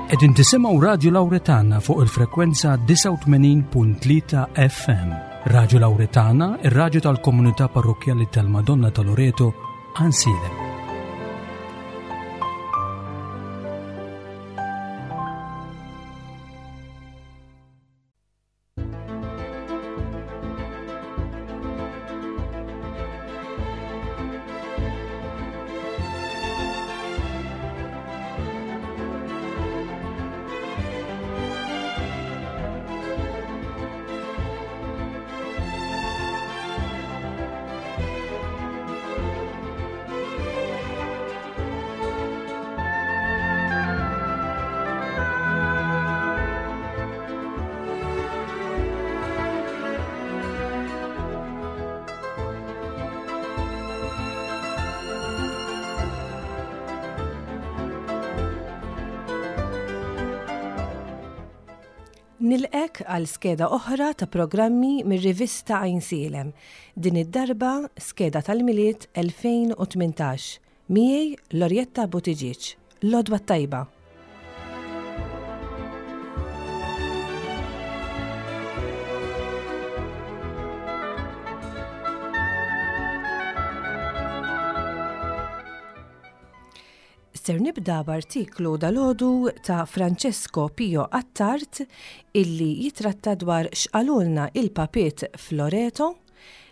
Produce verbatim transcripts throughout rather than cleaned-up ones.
Qegħdin tisimgħu Radio Lauretana fuq il-frekwenza disgħa u tmenin punt tlieta F M. Radio Lauretana, ir-radju tal-komunità parrokkjali tal-Madonna ta' Loreto, Għajnsielem. Nilqgħek għal skeda oħra ta' programmi mir-rivista Għajnsielem. Din id-darba skeda tal-Milied elfejn u tmintax. Miegħi Lorjetta Buttigieg. L-għodwa tajba. Ser nibda b'artiklu dalgħodu ta' Francesco Pio Attard illi jitratta dwar x'qalulna il-papiet f'Loreto,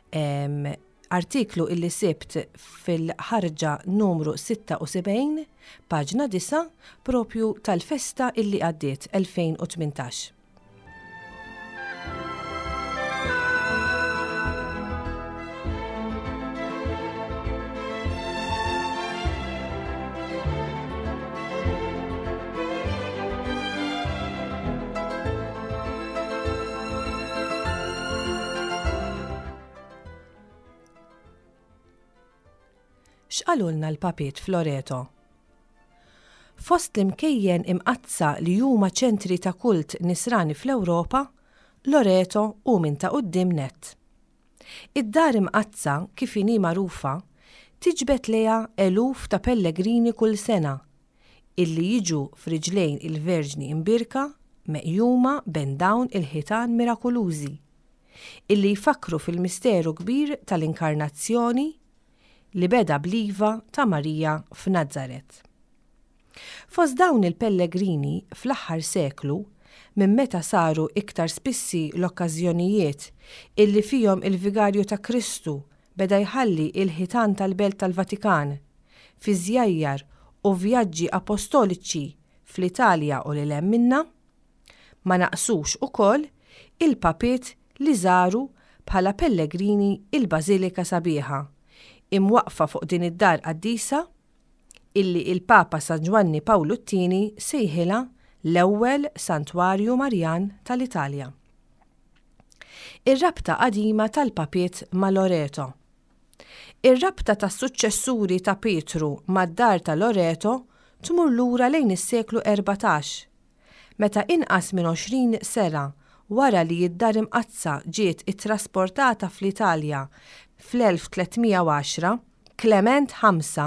em, artiklu illi sibt fil-ħarġa numru sitta u sebgħin, paġna disgħa, propju tal-festa illi għaddiet elfejn u tmintax. X'qalulna l-papiet f'Loreto? Fost l-imkejjen imqaddsa li huma ċentri ta' kult nisrani fl-Ewropa, Loreto hu minn ta' quddiem net. Id-dar imqaddsa, kif inhi magħrufa, tiġbed lejha eluf ta' pellegrini kull sena illi jiġu f'riġlejn il-Verġni Imbierka meqjuma bejn dawn il-ħitan mirakolużi illi jfakru fil-misteru kbir tal-inkarnazzjoni li beda bl-iva ta' Marija f'Nazaret. Fost dawn il-pellegrini fl-aħħar seklu, minn meta saru iktar spissi l-okkażjonijiet illi fihom il-Vigarju ta' Kristu beda jħalli il-ħitan tal-Belt tal-Vatikan fi żjajjar u vjaġġi apostoliċi fl-Italja u lil hemm minna, ma naqsux ukoll il-papiet li żaru bħala pellegrini il-Bażilika Sabiħa imwaqfa fuq din id-dar qaddisa illi il-Papa San Ġwanni Pawlu t-Tieni sejħilha l-ewwel Santwarju Marjan tal-Italja. Ir-rabta qadima tal-papiet ma' Loreto. Ir-rabta tas-suċċessuri ta' Pietru mad-dar ta' Loreto tmur lura lejn is-seklu erbatax, meta inqas minn għoxrin sena wara li d-dar imqaddsa ġiet ittrasportata fl-Italja fl-elf tliet mija u għaxra, Klement ħamsa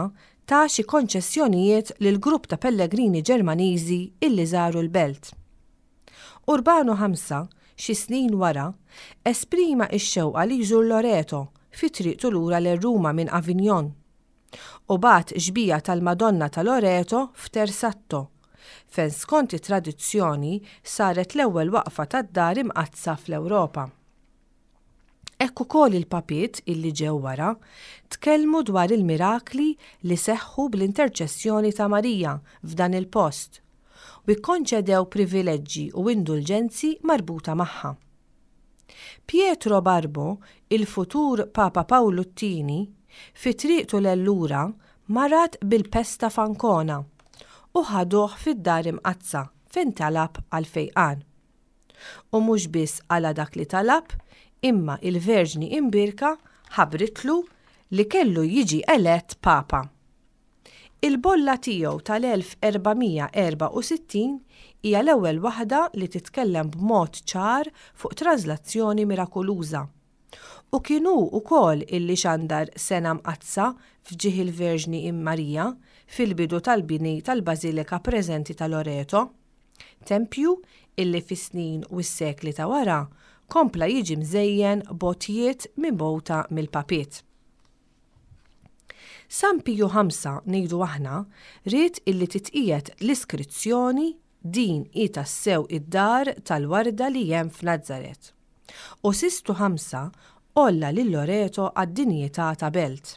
ta xi konċessjonijiet lil grupp ta' pellegrini Ġermaniżi illi żaru l-belt. Urbano ħamsa, xi snin wara, esprima x-xewqa li jżur Loreto fi triqtu lura lil Ruma minn Avignon. U bagħat xbieha tal-Madonna ta' Loreto f'Tersatto, fejn skont it-tradizzjoni saret l-ewwel waqfa tad-dar imqaddsa fl-Ewropa. Hekk ukoll il-papiet illi ġew wara tkellmu dwar il-mirakli li seħħu bl-interċessjoni ta' Marija f'dan il-post u kkonċedew privileġġi u indulġenzi marbuta magħha. Pietro Barbo, il-futur Papa Pawlu t-Tieni, fi triqtu lil lura marad bil-pesta f'Ancona u ħaduh fid-dar imqaddsa fejn talab għal fejqan. U mhux biss għala dak li talab, imma il-Verġni Imbierka ħabbritlu li kellu jiġi elett Papa. Il-bolla tiegħu tal-elf erba' mija erbgħa u sittin hija l-ewwel waħda li titkellem b'mod ċar fuq traslazzjoni mirakoluża. U kien hu wkoll illi xandar sena mqaddsa f'ġieħ il-Verġni Marija fil-bidu tal-bini tal-Bażilika preżenti ta' Loreto. Tempju illi fis-snin u s-sekli ta' wara kompla jiġi mżejjen b'għotjiet mibgħuta mill-papiet. San Piju Ħamsa, ngħidu aħna, ried illi titqiegħed l-iskrizzjoni Din hi tassew id-dar tal-warda li hemm f'Nazaret. U Sistu Ħamsa għolla lil Loreto għad-dinjità ta' belt.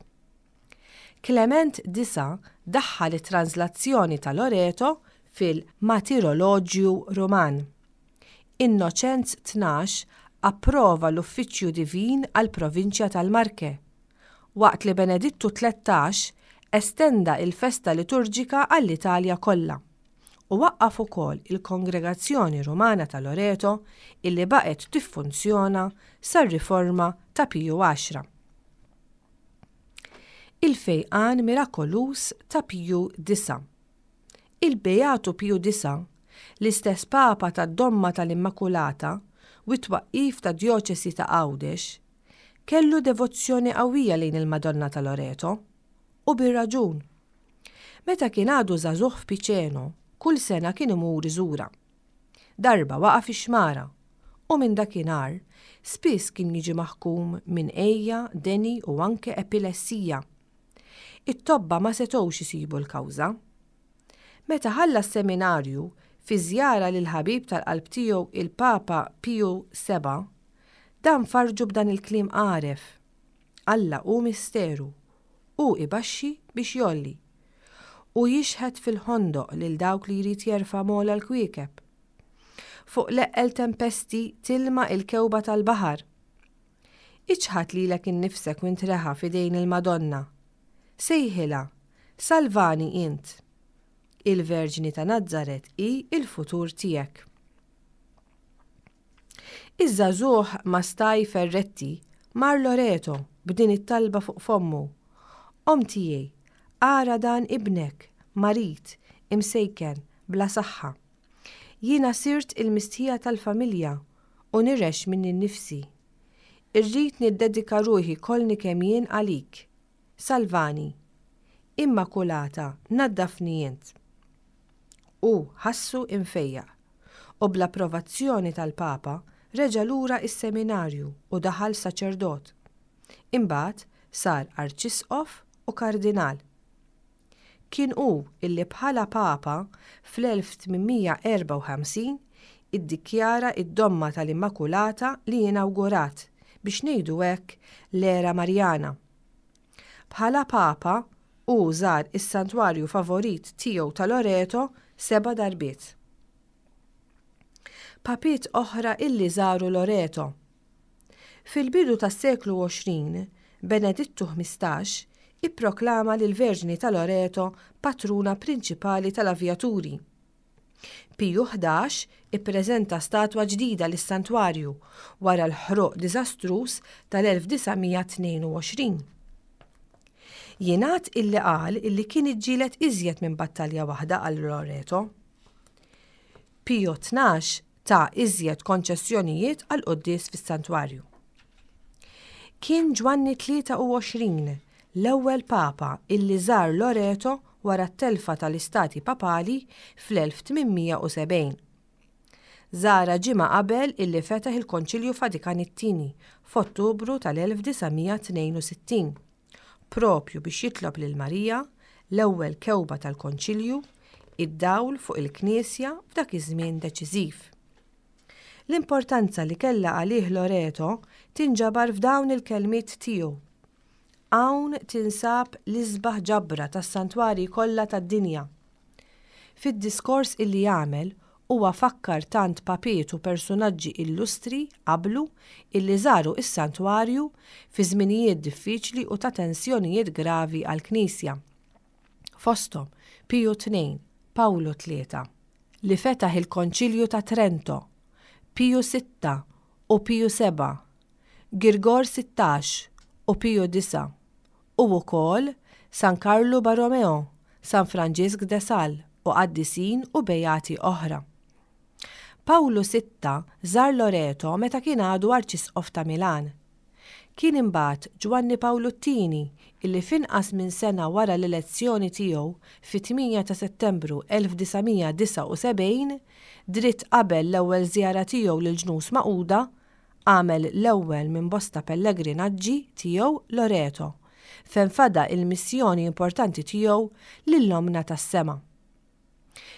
Klement Disa' daħħal it-tranżlazzjoni ta' Loreto fil-Martiroloġju Ruman. Innoċenz Tnax approva l-Uffiċċju Divin għall-Provinċja tal-Marche, waqt li Benedittu Tlettax estenda l-festa liturġika għall-Italja kollha, u waqqaf ukoll il-Kongregazzjoni Rumana ta' Loreto illi baqgħet tiffunzjona sar-riforma ta' Piju Għaxra. Il-fejqan mirakoluż ta' Piju Disa'. Il-Beatu Piju Disa', l-istess Papa tad-Domma tal-Immakulata u t-twaqqif tad-Djoċesi ta' Għawdex, kellu devozzjoni qawwija lejn il-Madonna ta' Loreto, u bir-raġun. Meta kien għadu żagħżugħ f'Piceno, kull sena kien imur iżurha. Darba waqa' fix-xmara, u minn dakinhar spiss kien jiġi maħkum minn għeja, deni u anke epilessija. It-tobba ma setgħux isibu l-kawża. Meta ħalla s-seminarju, fi żjara lill-ħabib tal-qalb tiegħu il-Papa Piju Seba', dan farrġu b'dan il-kliem għaref, Alla hu misteru, hu ibaxxi biex jgħolli. Hu jixħet fil-ħondoq lil dawk li jrid jerfa' m'ogħla l-kwiekeb. Fuq l-eqqel tempesti tilma il-kewba tal-baħar. Iċħad lilek innifsek u intreħa f'idejn il-Madonna. Sejħilha, Salvani int. Il-Verġni ta' Nazaret hi l-futur tiegħek. Iż-żagħżugħ Mastai Ferretti mar Loreto b'din it-talba fuq fommu, Omm tiegħi, ara dan ibnek, marid, imsejken, bla saħħa. Jiena sirt il-mistħija tal-familja u nirgħex minni nnifsi. Irrid niddedika ruħi kollni kemm jien għalik. Salvani. Immakulata, naddafni int. Hu ħassu imfejjaq, u bl-approvazzjoni tal-Papa reġa' lura s-seminarju u daħal saċerdot. Imbagħad sar arċisqof u kardinal. Kien hu illi bħala Papa fl-elf tmien mija erbgħa u ħamsin iddikjara d-domma tal-Immakulata li inawgurat, biex ngħidu hekk, l-era Marjana. Bħala Papa, hu żar is-santwarju favorit tiegħu ta' Loreto seba' darbiet. Papiet oħra illi żaru Loreto. Fil-bidu tas-seklu għoxrin, Benedittu ħmistax ipproklama lill-Verġni ta' Loreto patruna prinċipali tal-avjaturi. Piju ħdax ippreżenta statwa ġdida lis-santwarju wara l-ħruq diżastruż tal-elf disa' mija tnejn u għoxrin. Jingħad illi qal illi kien iġġieled iżjed minn battalja waħda għal Loreto. Piju tnax ta iżjed konċessjonijiet għall-quddies fis-santwarju. Kien Ġwanni tlieta u għoxrin l-ewwel Papa illi żar Loreto wara t-telfa tal-Istati Papali fl-elf tmien mija u sebgħin. Żarha ġimgħa qabel illi fetaħ il-Konċilju Vatikan it-Tieni f'Ottubru tal-elf disa' mija tnejn u sittin, propju biex jitlob lil Marija, l-ewwel kewba tal-Konċilju, id-dawl fuq il-Knisja f'dak iż-żmien deċiżiv. L-importanza li kellha għalih Loreto tinġabar f'dawn il-kelmiet tiegħu, Hawn tinsab l-isbaħ ġabra tas-santwarji kollha tad-dinja. Fid-diskors illi għamel, huwa fakkar tant papiet u persunaġġi illustri qablu illi żaru s-santwarju fi żminijiet diffiċli u ta' tensjonijiet gravi għall-Knisja. Fosthom Piju Tnejn, Pawlu Tlieta, li fetaħ il-Konċilju ta' Trento, Piju Sitta u Piju Sebgħa, Girgor Sittax u Piju Disa', u wkoll San Karlu Borromeo, San Franġisk de Sales u qaddisin u bejati oħra. Pawlu Sitta żar Loreto meta kien għadu Arċisqof ta' Milan. Kien imbagħad Ġwanni Pawlu t-Tieni illi f'inqas minn sena wara l-elezzjoni tiegħu fit-tmienja ta' Settembru elf disa' mija disgħa u sebgħin, dritt qabel l-ewwel żjara tiegħu lill-Ġnus Magħquda, għamel l-ewwel minn bosta pellegrinaġġi tiegħu Loreto, fejn fada il-missjoni importanti tiegħu lil Ommna tas-Sema.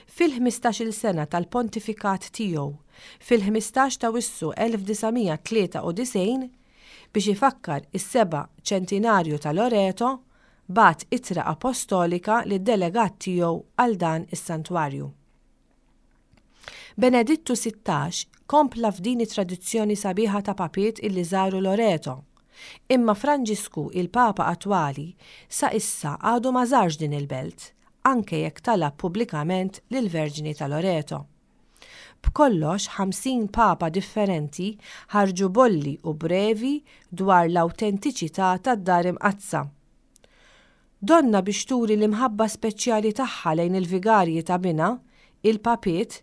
Fil-ħmistax-il sena tal-pontifikat tiegħu, fil-ħmistax ta' Wissu elf disa' mija tlieta u disgħin, biex ifakkar is-seba' ċentinarju ta' Loreto, bagħat ittra apostolika lid-delegat tiegħu għal dan is-santwarju. Benedittu sittax kompla f'din it-tradizzjoni sabiħa ta' papiet illi żaru Loreto. Imma Franġisku, il-Papa attwali, sa issa għadu ma żarx din il-belt, anke jekk talab pubblikament lill-Verġni ta' Loreto. B'kollox ħamsin papa differenti ħarġu bolli u brevi dwar l-awtentiċità tad-Dar Imqaddsa. Donna biex turi l-imħabba speċjali tagħha lejn il-vigarji ta' binha, il-papiet,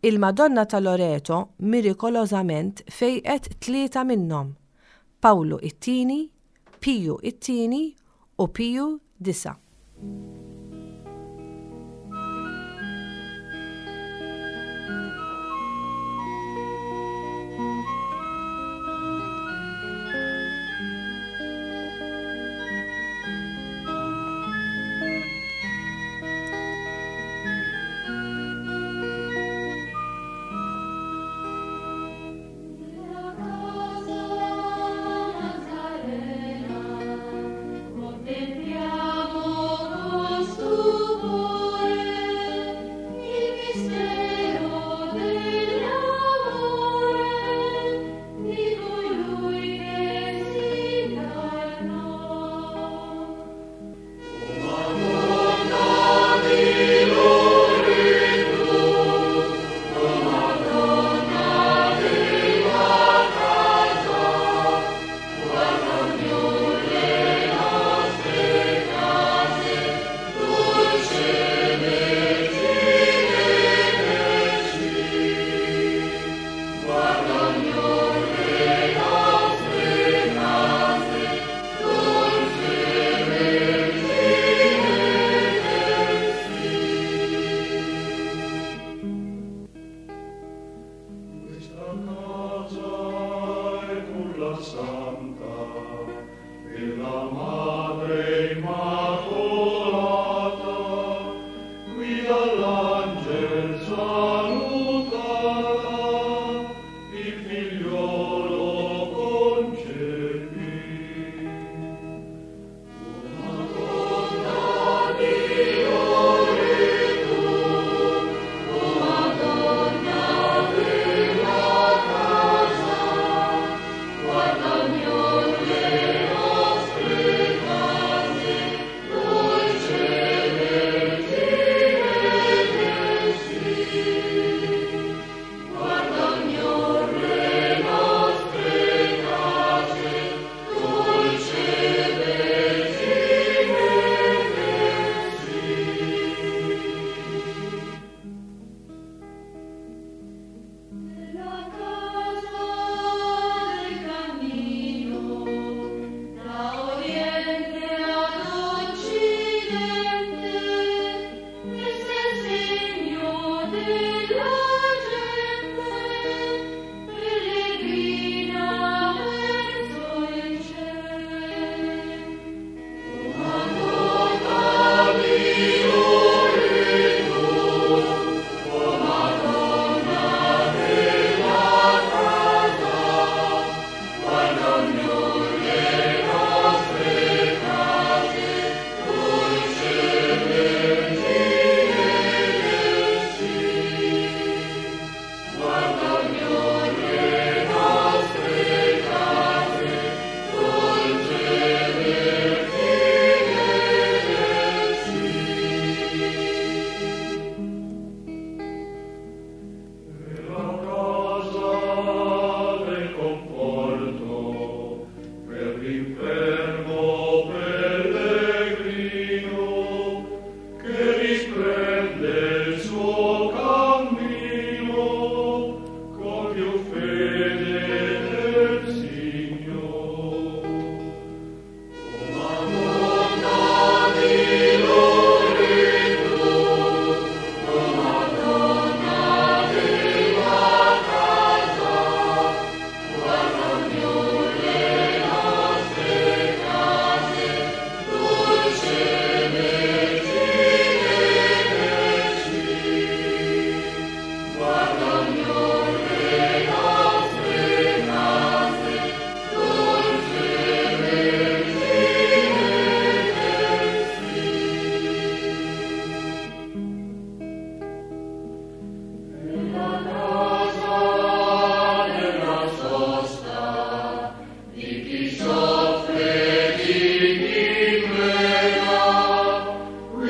il-Madonna ta' Loreto mirikolożament fejqet tlieta minnhom, Pawlu it-Tieni, Piju it-Tieni u Piju Disa'. Contempliamo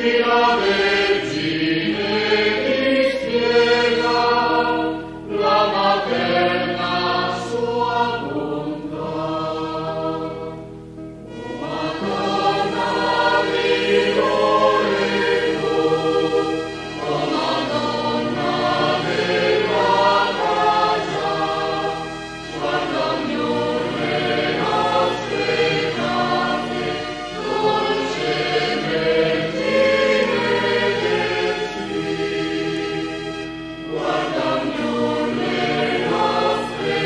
Qui la Vergine dispiega la materna sua bontà. O Madonna di Loreto, o Madonna della casa, guarda ognor le nostre case, dolce Vergine del sì. Guarda ognor le nostre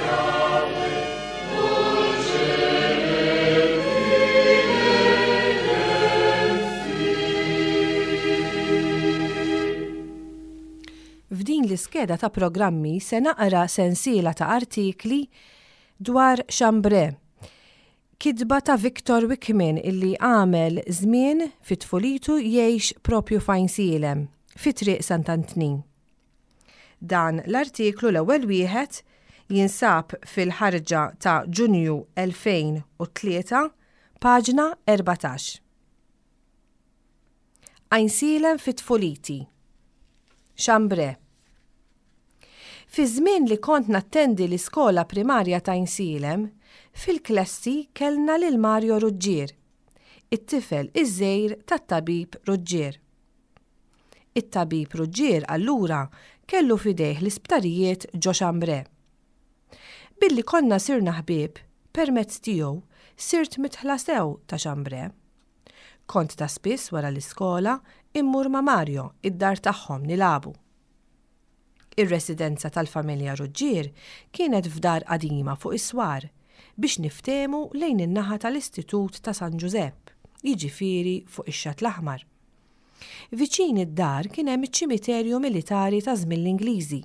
case, dolce Vergine del sì. F'din l-iskeda ta' programmi se naqra sensiela ta' artikli dwar Chambray. Kitba ta' Victor Wickman illi għamel żmien fit-tfulitu jgħix propju f'Għajnsielem, fi Triq Sant'Antnin. Dan l-artiklu, l-ewwel wieħed, jinsab fil-ħarġa ta' Ġunju elfejn u tlieta, paġna erbatax. Għajnsielem fit-tfuliti. Chambray. Fi żmien li kont nattendi l-iskola primarja ta' Għajnsielem, fil-klassi kellna lil Mario Ruggier, it-tifel iż-żgħir tat-tabib Ruggier. It-tabib Ruggier allura kellu fidejh l-isptarijiet ġo Chambray. Billi konna sirna ħbieb, permezz tiegħu sirt midħla sew ta' Chambray. Kont ta' spiss wara l-iskola immur ma' Mario id-dar tagħhom nilagħbu. Ir-residenza tal-familja Ruggier kienet f'dar qadima fuq is-swar, biex niftehmu lejn in-naħa tal-Istitut ta' San Ġużepp, jiġifieri fuq ix-Xatt l-Aħmar. Viċin id-dar kien hemm iċ-ċimiterju militari ta' żmien l-Ingliżi.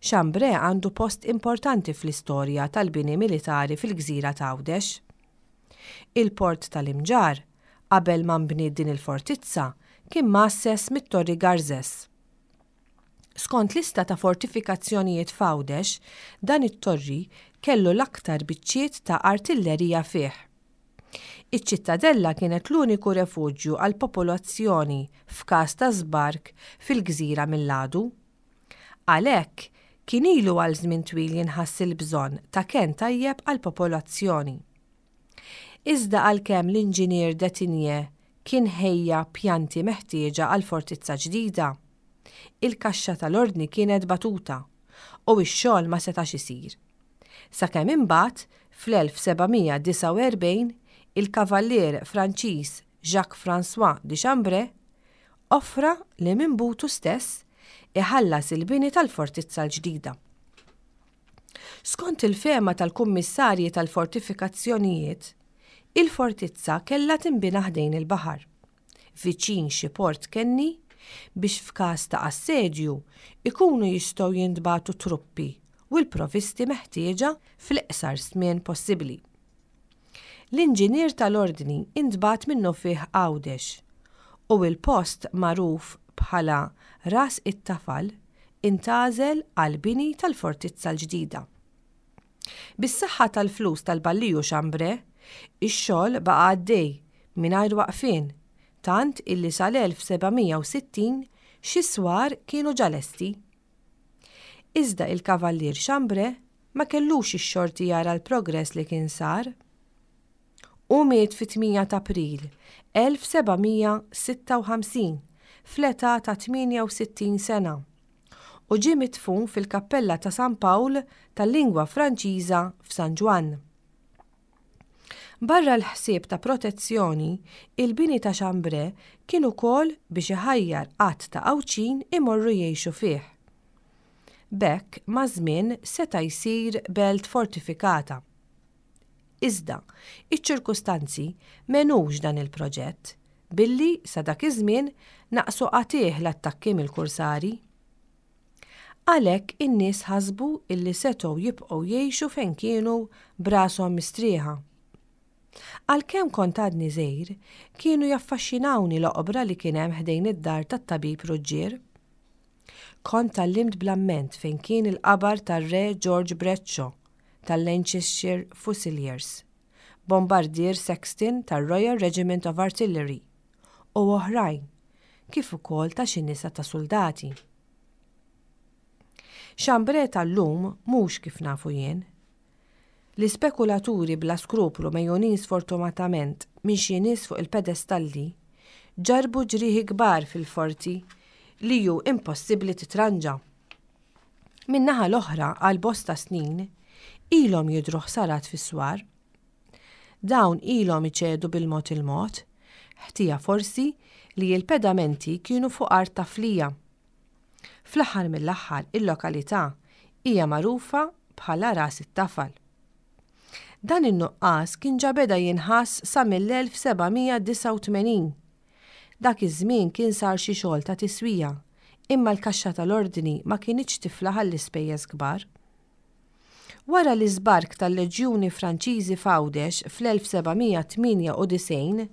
Chambray għandu post importanti fl-istorja tal-bini militari fil-gżira ta' Għawdex. Il-port tal-Imġarr, qabel ma nbniet din il-fortizza, kien mgħasses mit-Torri Garzes. Skont lista ta' fortifikazzjonijiet f'Għawdex, dan it-torri kellu l-aktar biċċiet ta' artillerija fih. Iċ-ċittadella kienet l-uniku refuġju għal popolazzjoni f'każ ta' żbark fil-gżira mill-għadu. Għalhekk kien ilu għal żmien twil jinħass il-bżonn ta' ken tajjeb għal popolazzjoni. Iżda għalkemm l-inġinier Detinje kien ħejja pjanti meħtieġa għal fortizza ġdida, il-kaxxa tal-ordni kienet batuta u x-xogħol ma setax isir. Sakemm imbagħad fl-elf seba' mija disgħa u erbgħin il-kavallier Franċiż Jacques François de Chambray offra li minn butu stess iħallas il-bini tal-fortizza l-ġdida. Skont il-fehma tal-kummissarji tal-fortifikazzjonijiet, il-fortizza kellha tinbina ħdejn il-baħar, viċin xi port kenni, biex f'każ ta' assedju ikunu jistgħu jintbagħtu truppi u l-provisti meħtieġa fl-iqsar żmien possibbli. L-inġinier tal-ordni intbagħat minnufih Għawdex u il-post magħruf bħala Ras it-Tafal intgħażel għal bini tal-fortizza l-ġdida. Bis-saħħa tal-flus tal-Balliju Chambray, ix-xogħol baqa' għaddej mingħajr waqfien, tant illi sal-elf seba' mija u sittin xi swar kienu ġa lesti. Iżda il-kavallier Chambray ma kellux ix-xorti jara l-progress li kien sar. U miet fit-tmienja ta' April elf seba' mija sitta u ħamsin fl-età ta' tmienja u sittin sena u ġie midfun fil-Kappella ta' San Pawl tal-lingwa Franċiża f'San Ġwann. Barra l-ħsieb ta' protezzjoni, il-bini ta' Chambray kien ukoll biex iħajjar għadd ta' Għawdxin imorru jgħixu fih. B'hekk maż-żmien seta' jsir belt fortifikata. Iżda, iċ-ċirkustanzi m'għenux dan il-proġett billi sa dak iż-żmien naqsu qatigħ l-attakki mill-kursari. Għalhekk in-nies ħasbu illi setgħu jibqgħu jgħixu fejn kienu b'rashom mistrieħa. Għalkemm kont għadni żgħir, kienu jaffaxxinawni l-oqbra li kien hemm ħdejn id-dar tat-tabib Ruggier. Kont tgħallimt bl-amment fejn kien il-qabar tar-Re George Bradshaw tal-Lancashire Fusiliers, Bombardier Sexton tar-Royal Regiment of Artillery. u oħrajn, kif ukoll ta' xi nisa ta' suldati. Chambray tal-lum mhux kif nafu jien. L-ispekulaturi bla skruplu megħjunin sfortunatament minn xi nies fuq il-pedestalli ġarrbu ġrieħi kbar fil-forti li hu impossibbli titranġa. Min-naħa l-oħra għal bosta snin ilhom jidhru ħsarat fis-swar. Dawn ilhom iċedu bil-mod il-mod, ħtija forsi li l-pedamenti kienu fuq art taflija. Fl-aħħar mill-aħħar il-lokalità hija magħrufa bħala Ras it-Tafal. Dan in-nuqqas kien ġa beda jinħass sa mill-elf seba' mija disgħa u tmenin. Dak iż-żmien kien sar xi xogħol ta' tiswija, imma l-kaxxa tal-ordni ma kinitx tiflaħ għall-ispejjeż kbar. Wara l-iżbark tal-Leġjuni Franċiżi f'Għawdex fl-elf seba' mija tmienja u disgħin,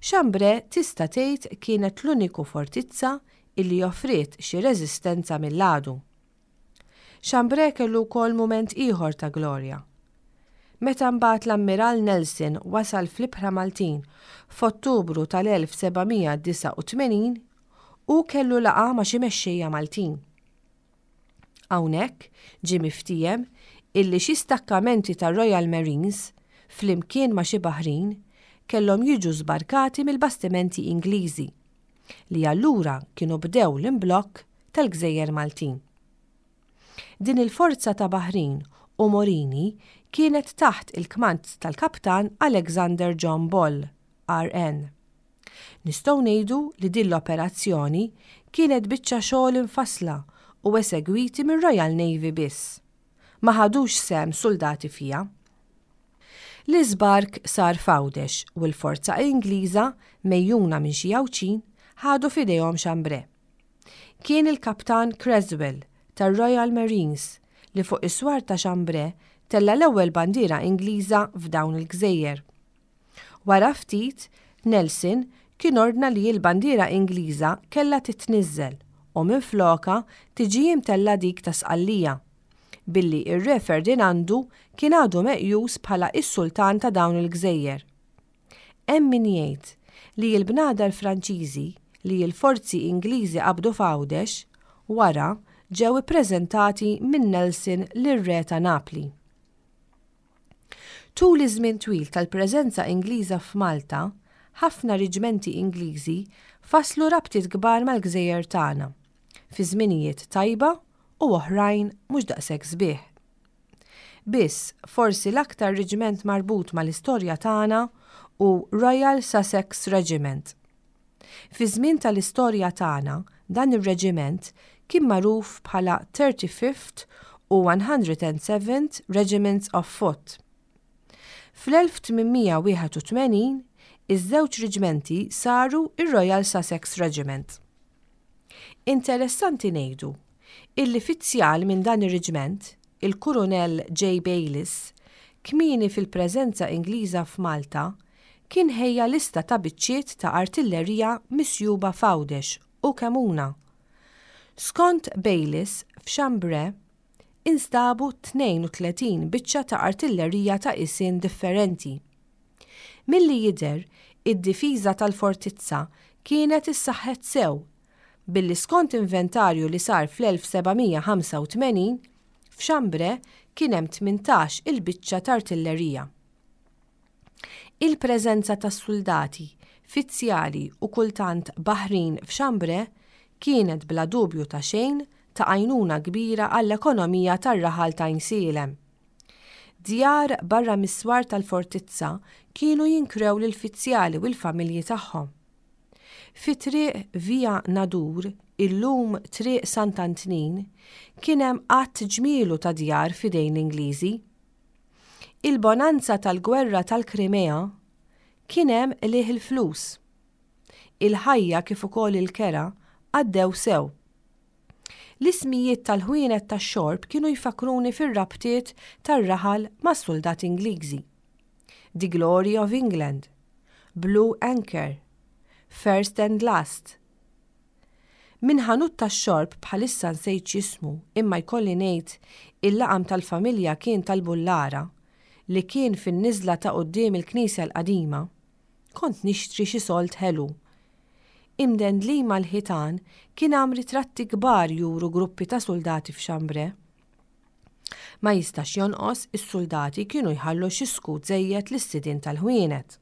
Chambray tista' tgħid kienet l-uniku fortizza illi offriet xi reżistenza mill-għadu. Chambray kellu wkoll mument ieħor ta' glorja. Meta mbagħad l-Ammiral Nelson wasal fl-Ibħra Maltin f'Ottubru tal-elf seba' mija disgħa u tmenin, hu kellu laqgħa ma' xi mexxejja Maltin. Hawnhekk ġie miftiehem illi xi stakkamenti tar-Royal Marines flimkien ma' xi baħrin kellhom jiġu żbarkati mill-bastimenti Ingliżi li allura kienu bdew l-imblokk tal-Gżejjer Maltin. Din il-forza ta' baħrin u Morini kienet taħt il-kmand tal-kaptan Alexander John Ball, R N. Nistgħu ngħidu li din l-operazzjoni kienet biċċa xogħol infassla u esegwiti mir-Royal Navy biss. Ma ħadux sehem soldati fija. L-iżbark sar f'Għawdex u l-forza Ingliża mejjuna minn xi Għawdxin ħadu f'idejhom Chambray. Kien il-kaptan Creswell tar-Royal Marines li fuq is-swar ta' Chambray tella l-ewwel bandiera Ingliża f'dawn il-gżejjer. Wara ftit, Nelson kien ordna li l-bandiera Ingliża kellha titniżżel u minflokha tiġi imtella dik ta' Sqallija, billi ir-Re Ferdinandu kien għadu meqjus bħala is-sultan ta' dawn il-gżejjer. Hemm min jgħid li l-bnadar Franċiżi li l-forzi Ingliżi qabdu f'Għawdex wara ġew ippreżentati minn Nelson lir-Re ta' Napli. Tul iż-żmien twil tal-preżenza Ingliża f'Malta, ħafna reġimenti Ingliżi faslu rabtiet kbar mal-gżejjer tagħna, fi żminijiet tajba u oħrajn mhux daqshekk sbieħ. Biss forsi l-aktar reġiment marbut mal-istorja tagħna hu Royal Sussex Regiment. Fi żmien tal-istorja tagħna dan ir-reġiment kien magħruf bħala thirty-fifth u one hundred and seventh Regiments of Foot. Fl-elf tmien mija wieħed u tmenin, iż-żewġ reġimenti saru ir-Royal Sussex Regiment. Interessanti ngħidu illi fizzjal minn dan ir-reġiment, il-Kurunell J. Bayliss, kmieni fil-preżenza Ingliża f'Malta, kien ħejja lista ta' biċċiet ta' artillerija misjuba f'Għawdex u Kemmuna. Skont Bayliss, f'Chambray instabu tnejn u tletin biċċa ta' artillerija ta' qisien differenti. Milli jidher, id-difiża tal-fortizza kienet issaħħet sew, billi skont inventarju li sar fl-elf seba' mija ħamsa u tmenin, f'Chambray kien hemm tmintax il-biċċa ta' artillerija. Il-preżenza tas-soldati, fizzjali u kultant baħrin f'Chambray kienet bla dubju ta' xejn ta' għajnuna kbira għall-ekonomija tar-raħal ta' Għajnsielem. Djar barra mis-swar tal-fortizza kienu jinkrew lill-fizzjali u l-familji tagħhom. Fi triq Via Nadur, illum triq Sant'Antnin, kien hemm għadd ġmielu ta' djar f'idejn l-Ingliżi. Il-bonanza tal-gwerra tal-Krimea kien hemm qligħ il-flus. Il-ħajja kif ukoll il-kera għaddew sew. L-ismijiet tal-ħwienet tax-xorb kienu jfakkruni fir-rabtiet tar-raħal mas-soldati Ingliżi. The Glory of England, Blue Anchor, First and Last. Min ħanut tax-xorb bħalissa nsejt x'jismu, imma jkolli ngħid il-laqam tal-familja kien tal-Bullara li kien fin-niżla ta' quddiem il-Knisja l-Qadima, kont nixtri xi solt ħelu. Imdendlin mal-ħitan kien hemm ritratti kbar juru gruppi ta' suldati f'Chambray. Ma jistax jonqos, is-suldati kienu jħallu xi skut żejjed lis-sidien tal-ħwienet.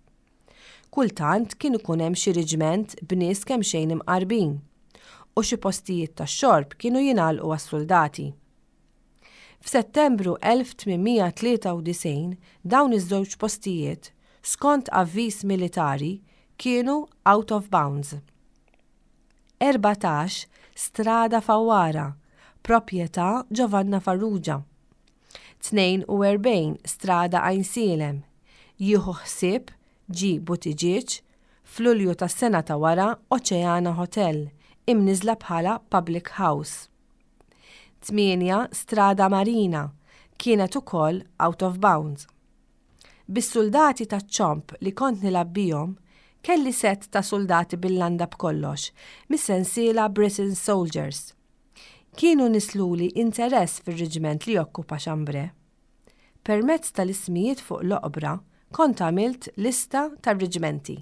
Kultant kien ikun hemm xi riġment b'nies kemm xejn imqarbin u xi postijiet tax-xorb kienu jingħalqu għas-suldati. F'Settembru elf tmien mija tlieta u disgħin dawn iż-żewġ postijiet, skont avviż militari, kienu out of bounds. Erbatax Strada Fawwara, proprjetà Giovanna Farrugia. Tnejn u erbgħin Strada Għajnsielem, jieħu ħsieb G. Buttigieg. F'Lulju tas-sena ta' wara Oceana Hotel, imniżla bħala Public House. tmienja Strada Marina kienet ukoll out of bounds. Bis-soldati ta' ċomb li kont nilgħab bihom, kelli set ta' soldati bil-landa b'kollox, mis-sensiela Britain Soldiers. Kienu nisluli interess fir-reġiment li jokkupa Chambray. Permezz tal-ismijiet fuq l-oqbra kont għamilt lista tar-reġimenti.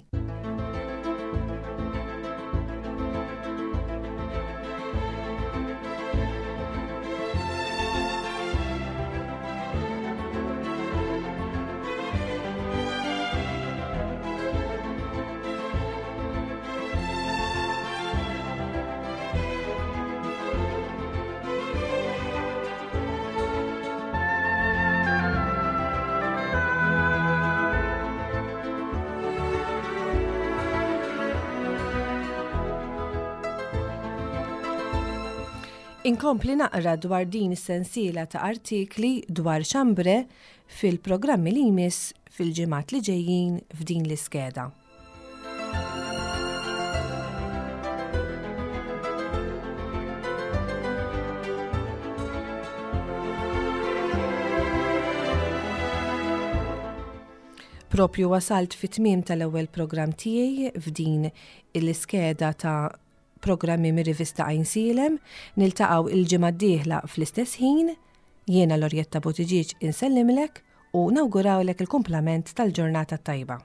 Inkompli naqra dwar din is-sensiela ta' artikli dwar Chambray fil-programmi li jmiss fil-ġimgħat li ġejjin f'din l-iskeda. Propju wasalt fit-tmiem tal-ewwel programm tiegħi f'din l-iskeda ta' programmi mir-rivista Għajnsielem. Niltaqgħu il-ġimgħa d-dieħla fl-istess ħin. Jiena Lorjetta Buttigieg insellimlek u nawgurawlek il-kumplament tal-ġurnata tajba.